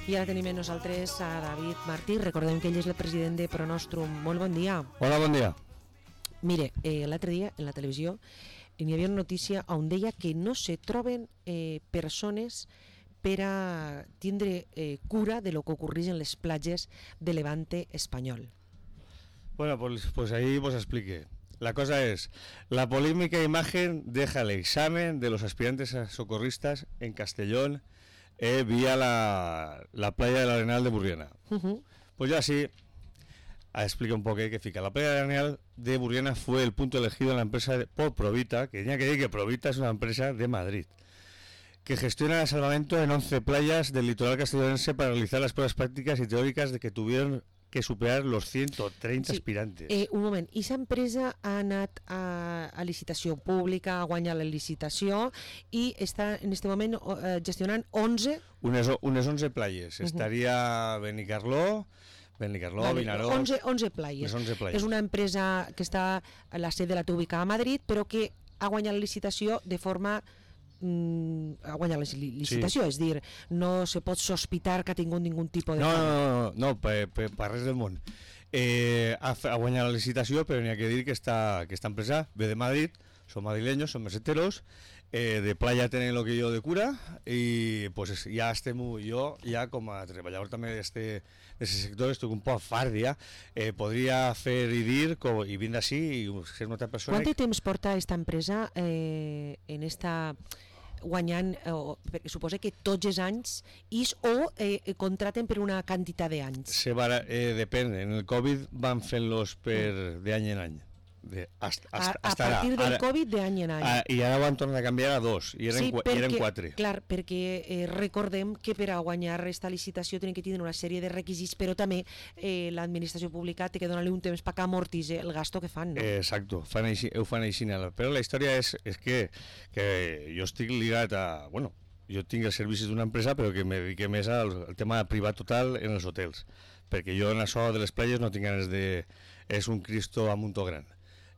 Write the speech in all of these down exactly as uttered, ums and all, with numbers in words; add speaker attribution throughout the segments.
Speaker 1: I ara tenim amb nosaltres a David Martí. Recordem que ell és el president de Pronostrum. Molt bon dia.
Speaker 2: Hola, bon dia.
Speaker 1: Mire, eh, l'altre dia en la televisió hi havia una notícia on deia que no se troben eh, persones per a tindre eh, cura de lo que ocorreix en les platges de Levante espanyol.
Speaker 2: Bueno, pues, pues ahí pues explique. La cosa es, la polémica imagen deja el examen de los aspirantes a socorristas en Castellón eh, vía la, la playa del Arenal de Burriana. Uh-huh. Pues ya sí, explica un poco qué fica. La playa del Arenal de Burriana fue el punto elegido en la empresa de, por Provita, que tenía que decir que Provita es una empresa de Madrid, que gestiona el salvamento en once playas del litoral castellonense para realizar las pruebas prácticas y teóricas de que tuvieron que superar los ciento treinta sí. aspirantes.
Speaker 1: Eh, un moment, i aquesta empresa ha anat a, a licitació pública, ha guanyat la licitació i està en aquest moment eh, gestionant onze...
Speaker 2: Unes, unes onze playes. Uh-huh. Estaria Benicarló, Benicarló, vale, Vinaròs...
Speaker 1: onze, onze playes.
Speaker 2: onze playes.
Speaker 1: És una empresa que està, la sede la té ubicada a Madrid, però que ha guanyat la licitació de forma... a guanyar la licitació, sí. És dir, no se pot sospitar que ha tingut ningun tipus de...
Speaker 2: No, no, no, no, no per, per, per res del món. Eh, ha, ha guanyat la licitació, però n'hi ha que dir que esta, que esta empresa ve de Madrid, són madrileños, són meseteros, eh, de playa tenen lo que jo de cura, i pues ja estem, jo ja com a treballador també d'este sector estic un poc fart ja, eh, podria fer i dir com, i vindre així i ser una altra persona.
Speaker 1: Quant de temps porta esta empresa eh, en esta... guanyant, eh, suposa que tots els anys is o eh, contraten per una quantitat d'anys?
Speaker 2: Se va, eh, depèn, en el Covid van fent-los per mm. de any en any. De, hasta, hasta,
Speaker 1: a, a partir del
Speaker 2: ara,
Speaker 1: Covid de any en any.
Speaker 2: A, I ara van tornar a canviar a dos, i eren,
Speaker 1: sí, perquè,
Speaker 2: i eren quatre.
Speaker 1: Clar, perquè eh, recordem que per a guanyar aquesta licitació tenen que tenir una sèrie de requisits, però també eh, l'administració pública té que donar-li un temps perquè amortitzi el gasto que fan, no?
Speaker 2: Eh, exacto, fan així, ho fan així. Però la història és, és que, que jo estic ligat a... Bueno, jo tinc els servicis d'una empresa, però que me dedique més al, al tema privat total en els hotels, perquè jo en això de les platges no tinc ganes de... És un Cristo a muntó gran.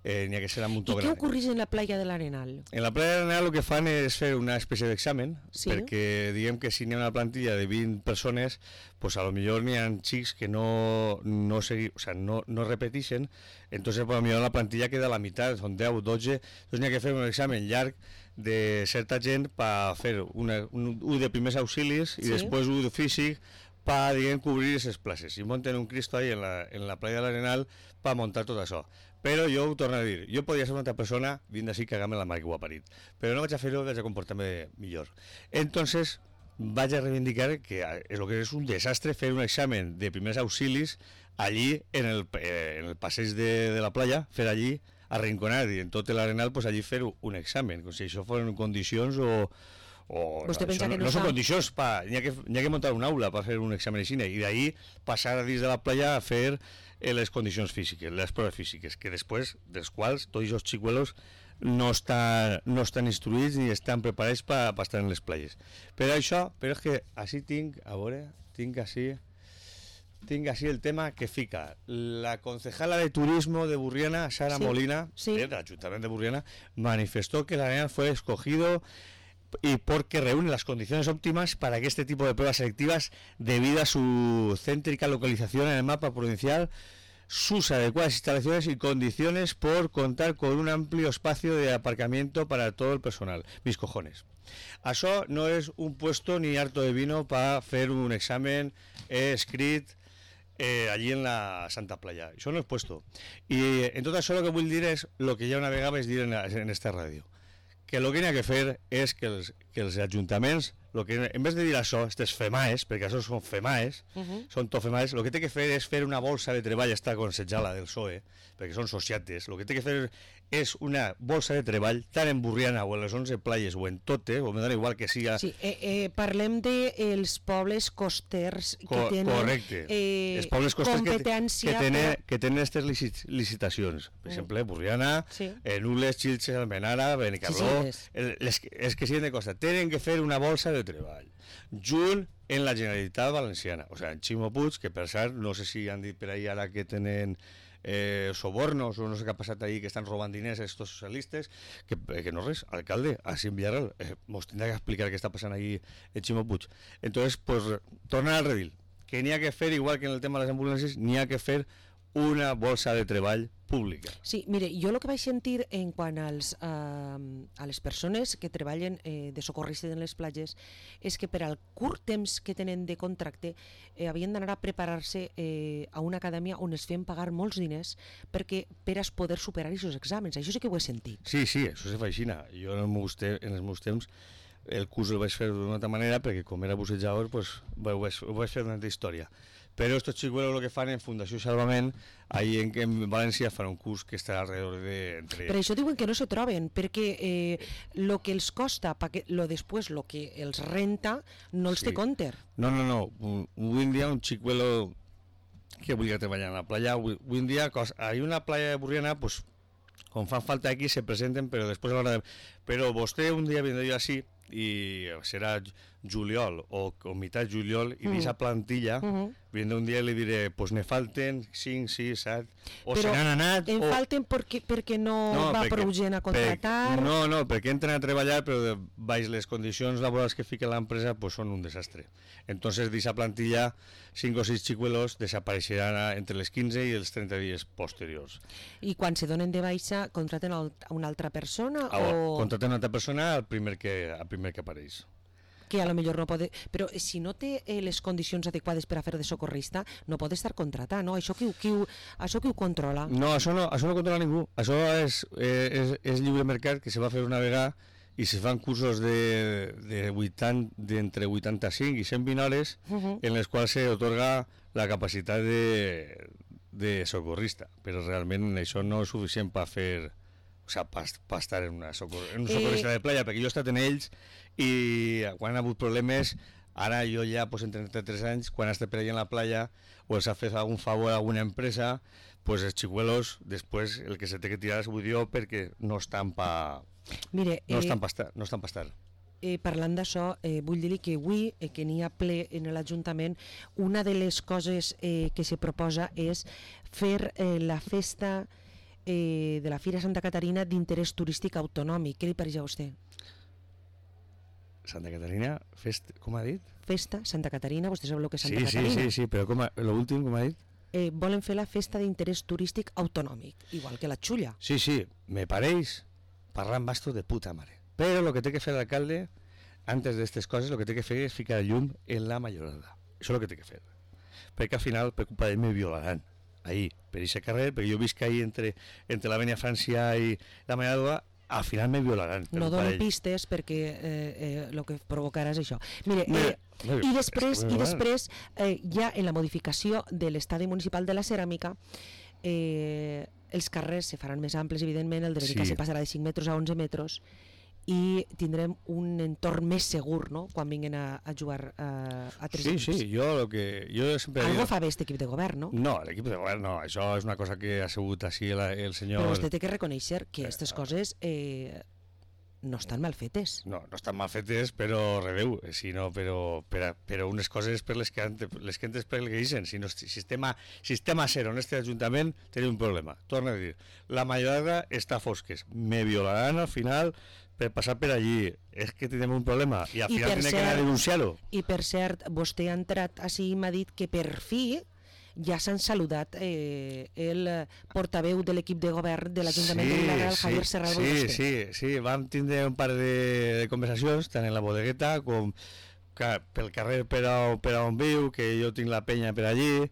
Speaker 2: Eh, n'hi ha que ser a muntó gran.
Speaker 1: I què ocorreix en la playa de l'Arenal?
Speaker 2: En la playa de l'Arenal el que fan és fer una espècie d'examen, sí. Perquè diguem que si n'hi ha una plantilla de vint persones, pues a lo millor n'hi ha xics que no, no, segui, o sea, no, no repeteixen, entonces pues a lo millor la plantilla queda a la meitat, són deu, dotze, entonces n'hi ha que fer un examen llarg de certa gent per fer una, un, un de primers auxilis i sí. Després un de físic para cubrir esas places y monten un Cristo ahí en la, en la playa del Arenal para montar tot això. Però jo ho torno a dir, jo podria ser una altra persona vint d'ací cagar-me la mare que ho ha parit, però no vaig a fer-ho, vaig a comportar-me millor. Entonces vaig a reivindicar que és lo que és un desastre fer un examen de primers auxilis allí en el, en el passeig de, de la playa, fer allí arrinconat i en tot l'Arenal pues allí fer un examen, com si això foren condicions o o
Speaker 1: no,
Speaker 2: que no, no són condicions pa, n'hi ha, que, n'hi ha que muntar un aula per fer un examen així i d'ahí passar a dins de la playa a fer eh, les condicions físiques, les proves físiques, que després dels quals tots els xicuelos no estan, no estan instruïts ni estan preparats per pa estar en les playes. Però això, però és que així tinc, a veure, tinc així tinc així el tema que fica la concejala de turismo de Burriana, Sara sí, Molina, sí. del Ayuntamiento de Burriana, manifestó que el Arenal fue escogido y porque reúne las condiciones óptimas para que este tipo de pruebas selectivas, debido a su céntrica localización en el mapa provincial, sus adecuadas instalaciones y condiciones por contar con un amplio espacio de aparcamiento para todo el personal. Mis cojones. Això no és un puesto ni harto de vino para fer un examen eh, escrit eh, allí en la Santa Playa. Això no és puesto. I en tot això el que vull dir és el que ja una vegada vaig dir en, en esta ràdio, que el que n'hi ha que fer és que els, que els ajuntaments, lo que, en vez de dir això, aquestes FEMAES, perquè això són FEMAES, uh-huh. són tot FEMAES, el que té que fer és fer una bolsa de treball, està aconsejada del P S O E, perquè són sociates, el que té que fer és una bolsa de treball, tant en Burriana o en les onze playes o en totes, o me dona igual que siga...
Speaker 1: Sí, eh, eh, parlem dels de pobles costers que
Speaker 2: Co
Speaker 1: tenen
Speaker 2: correcte.
Speaker 1: Eh,
Speaker 2: els pobles costers
Speaker 1: competència...
Speaker 2: Que, que tenen
Speaker 1: per...
Speaker 2: que tenen aquestes licit licitacions, per mm. exemple, Burriana, sí. eh, Nules, Xilxes, Almenara, Benicarló, sí, sí, les... Les, les que siguen de costa, tenen que fer una bolsa de treball junt en la Generalitat Valenciana, o sigui, en Ximo Puig, que per cert no sé si han dit per ahí ara que tenen eh, sobornos o no sé què ha passat ahí, que estan robant diners a estos socialistes, que, que no res, alcalde, així en Villarreal, eh, mos tindrà que explicar què està passant ahí en Ximo Puig. Entonces, pues, tornar al redil, que n'hi ha que fer, igual que en el tema de les ambulàncies, n'hi ha que fer una bolsa de treball pública.
Speaker 1: Sí, mire, jo el que vaig sentir en quant als, eh, a les persones que treballen eh, de socorristes en les platges és que per al curt temps que tenen de contracte eh, havien d'anar a preparar-se eh, a una acadèmia on es feien pagar molts diners perquè per a poder superar aquests exàmens. Això sí que ho he sentit.
Speaker 2: Sí, sí, això se fa així. Jo en els meus, te en els meus temps el curs el vaig fer d'una altra manera perquè com era bussejador pues, ho, vaig, ho vaig fer d'una altra història. Però estos xicuelos lo que fan en Fundació Salvament, ahí en, en València fan un curs que està alrededor de... Entre...
Speaker 1: Per això diuen que no se troben, perquè eh, lo que els costa, que, lo després, lo que els renta, no els sí. té compte.
Speaker 2: No, no, no. Avui en dia un xicuelo que volia treballar en la playa, avui en dia hay una playa de Burriana, pues, com fan falta aquí se presenten, però després a l'hora de... Però vostè un dia vindrà jo així, i serà juliol o, o mitad juliol i mm. d'esa plantilla mm -hmm. vindrà un dia i li diré pues ne falten cinc, sis, set o
Speaker 1: però
Speaker 2: se n'han anat
Speaker 1: en
Speaker 2: o...
Speaker 1: falten perquè, perquè no, no va perquè, prou gent a contratar
Speaker 2: per, no, no, perquè entren a treballar però baix les condicions laborals que fica l'empresa pues són un desastre. Entonces d'esa plantilla cinc o sis xicuelos desapareixeran entre les quinze i els trenta dies posteriors.
Speaker 1: I quan se donen de baixa contraten a una altra persona
Speaker 2: ah,
Speaker 1: o...
Speaker 2: contraten a una altra persona al primer que, al primer que apareix,
Speaker 1: que a lo millor no pot... Però si no té eh, les condicions adequades per a fer de socorrista, no pot estar contratat, no? Això qui, qui, això qui ho controla?
Speaker 2: No, això no, això no controla ningú. Això és, eh, és, és lliure mercat, que se va fer una vegada i se fan cursos de, de vuitanta, d'entre vuitanta-cinc i cent vint hores uh -huh. en les quals se otorga la capacitat de, de socorrista. Però realment això no és suficient per fer... O sigui, per, per estar en una socor, en un socorrista eh... de playa, perquè jo he estat en ells i quan ha hagut problemes, ara jo ja pues, en trenta-tres anys, quan he estat per allà en la playa o els ha fet algun favor a alguna empresa, pues els xicuelos després el que se té que tirar és buidió perquè no estan pa...
Speaker 1: Mire,
Speaker 2: no
Speaker 1: eh...
Speaker 2: estan pa estar, no estan pa estar.
Speaker 1: Eh, parlant d'això, eh, vull dir-li que avui, eh, que n'hi ha ple en l'Ajuntament, una de les coses eh, que se proposa és fer eh, la festa eh, de la Fira Santa Caterina d'interès turístic autonòmic. Què li pareix a vostè?
Speaker 2: Santa Caterina, fest, com ha dit?
Speaker 1: Festa Santa Caterina, vostè sap el que és Santa
Speaker 2: sí,
Speaker 1: Caterina?
Speaker 2: Sí, sí, sí, però com a, l'últim, com ha dit?
Speaker 1: Eh, volen fer la festa d'interès turístic autonòmic, igual que la Xulla.
Speaker 2: Sí, sí, me pareix parlar amb bastos de puta mare. Però el que té que fer l'alcalde, antes d'aquestes coses, el que té que fer és ficar el llum en la Majorada. Això és el que té que fer. Perquè al final, per culpa d'ell, me violaran. Ahí, per aquest carrer, perquè jo visc ahí entre, entre l'Avenida Francia i la Majorada, al final me violaran.
Speaker 1: No dono pistes perquè eh, el eh, que provocarà és això. Mire, eh, i després, i després eh, ja en la modificació de l'estadi municipal de la ceràmica, eh, els carrers se faran més amples, evidentment, el de Verica sí. se passarà de cinc metres a onze metres, i tindrem un entorn més segur, no?, quan vinguin a, a jugar a, a tres
Speaker 2: sí,
Speaker 1: equips.
Speaker 2: Sí, sí, jo el que... Jo sempre
Speaker 1: Algo
Speaker 2: digo...
Speaker 1: fa bé aquest equip de govern, no?
Speaker 2: No, l'equip de govern no, això és una cosa que ha sigut així el, el senyor...
Speaker 1: Però vostè té que reconèixer que aquestes eh, coses eh, no estan mal fetes.
Speaker 2: No, no estan mal fetes, però rebeu, sinó però, però, però unes coses per les que, les que entes per el que dicen, si no, sistema, sistema cero en este ajuntament tenim un problema. Torno a dir, la majoria està fosques, me violaran al final per passar per allí, és que tenim un problema i al I final tindré que anar a denunciar-ho.
Speaker 1: I per cert, vostè ha entrat així i m'ha dit que per fi ja s'han saludat eh, el portaveu de l'equip de govern de l'Ajuntament sí, de Villarreal, sí, Javier Serral.
Speaker 2: Sí, sí, sí, vam tindre un par de, de conversacions, tant en la bodegueta com que, pel carrer per a, per a on viu, que jo tinc la penya per allí,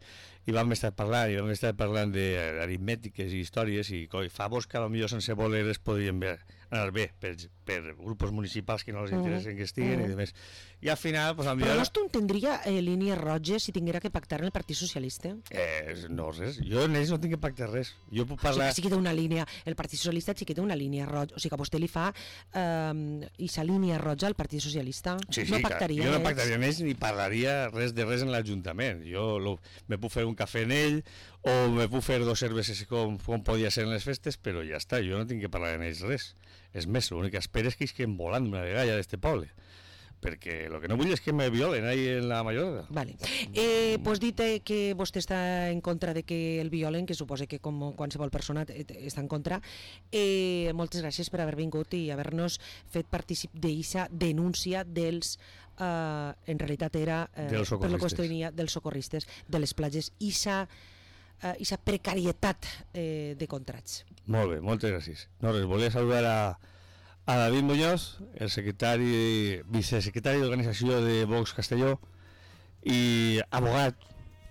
Speaker 2: i vam estar parlant, i vam estar parlant d'aritmètiques i històries, i coi, favors que potser sense voler es podrien ver, anar bé per, per grups municipals que no els interessen que estiguen, mm. i demés. I al final... Pues,
Speaker 1: Però no tu tindria eh, línies roges si tinguera que pactar en el Partit Socialista?
Speaker 2: Eh, no, res. Jo en ells no tinc que pactar res. Jo puc parlar...
Speaker 1: O sigui, sí que té una línia, el Partit Socialista sí que té una línia roja, o sigui que vostè li fa eh, aquesta línia roja al Partit Socialista.
Speaker 2: Sí, sí,
Speaker 1: no pactaria
Speaker 2: jo no pactaria en ells ni parlaria res de res en l'Ajuntament. Jo lo, me puc fer un cafè en ell o me puc fer dos cerveses com, com podia ser en les festes, però ja està, jo no tinc que parlar en ells res. És més, l'únic que espero és que isquen volant una vegada ja d'este poble. perquè el que no vull és que me violen ahí en la Mallorca.
Speaker 1: Vale. Eh, pues dite que vostè està en contra de que el violen, que suposa que com qualsevol persona està en contra. Eh, moltes gràcies per haver vingut i haver-nos fet partícip d'eixa denúncia dels, eh, en realitat era, eh, per la qüestió dels socorristes, de les platges, i sa Uh, i sa precarietat eh, de contrats.
Speaker 2: Molt bé, moltes gràcies. No res, volia saludar a, a David Muñoz, el secretari, vicesecretari d'organització de Vox Castelló i abogat,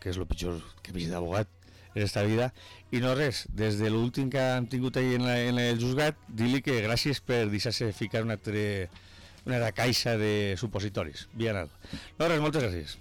Speaker 2: que és el pitjor que he vist d'abogat en esta vida, i no res, des de l'últim que hem tingut ahí en, la, en el juzgat, dir-li que gràcies per deixar-se ficar una, tre, una caixa de supositoris. Bien anat. No res, moltes gràcies.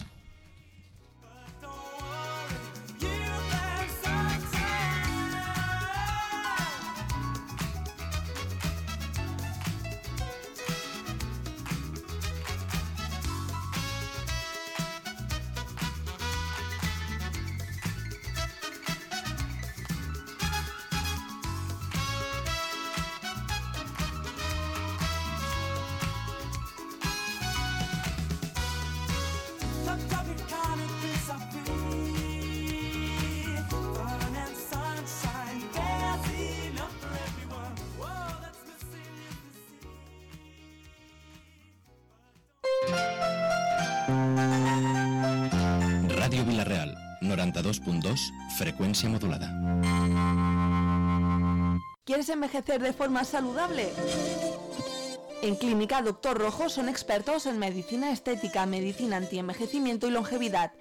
Speaker 3: Ràdio Vila-real, noranta-dos punt dos, frecuencia modulada.
Speaker 4: ¿Quieres envejecer de forma saludable? En Clínica Doctor Rojo son expertos en medicina estética, medicina anti-envejecimiento y longevidad.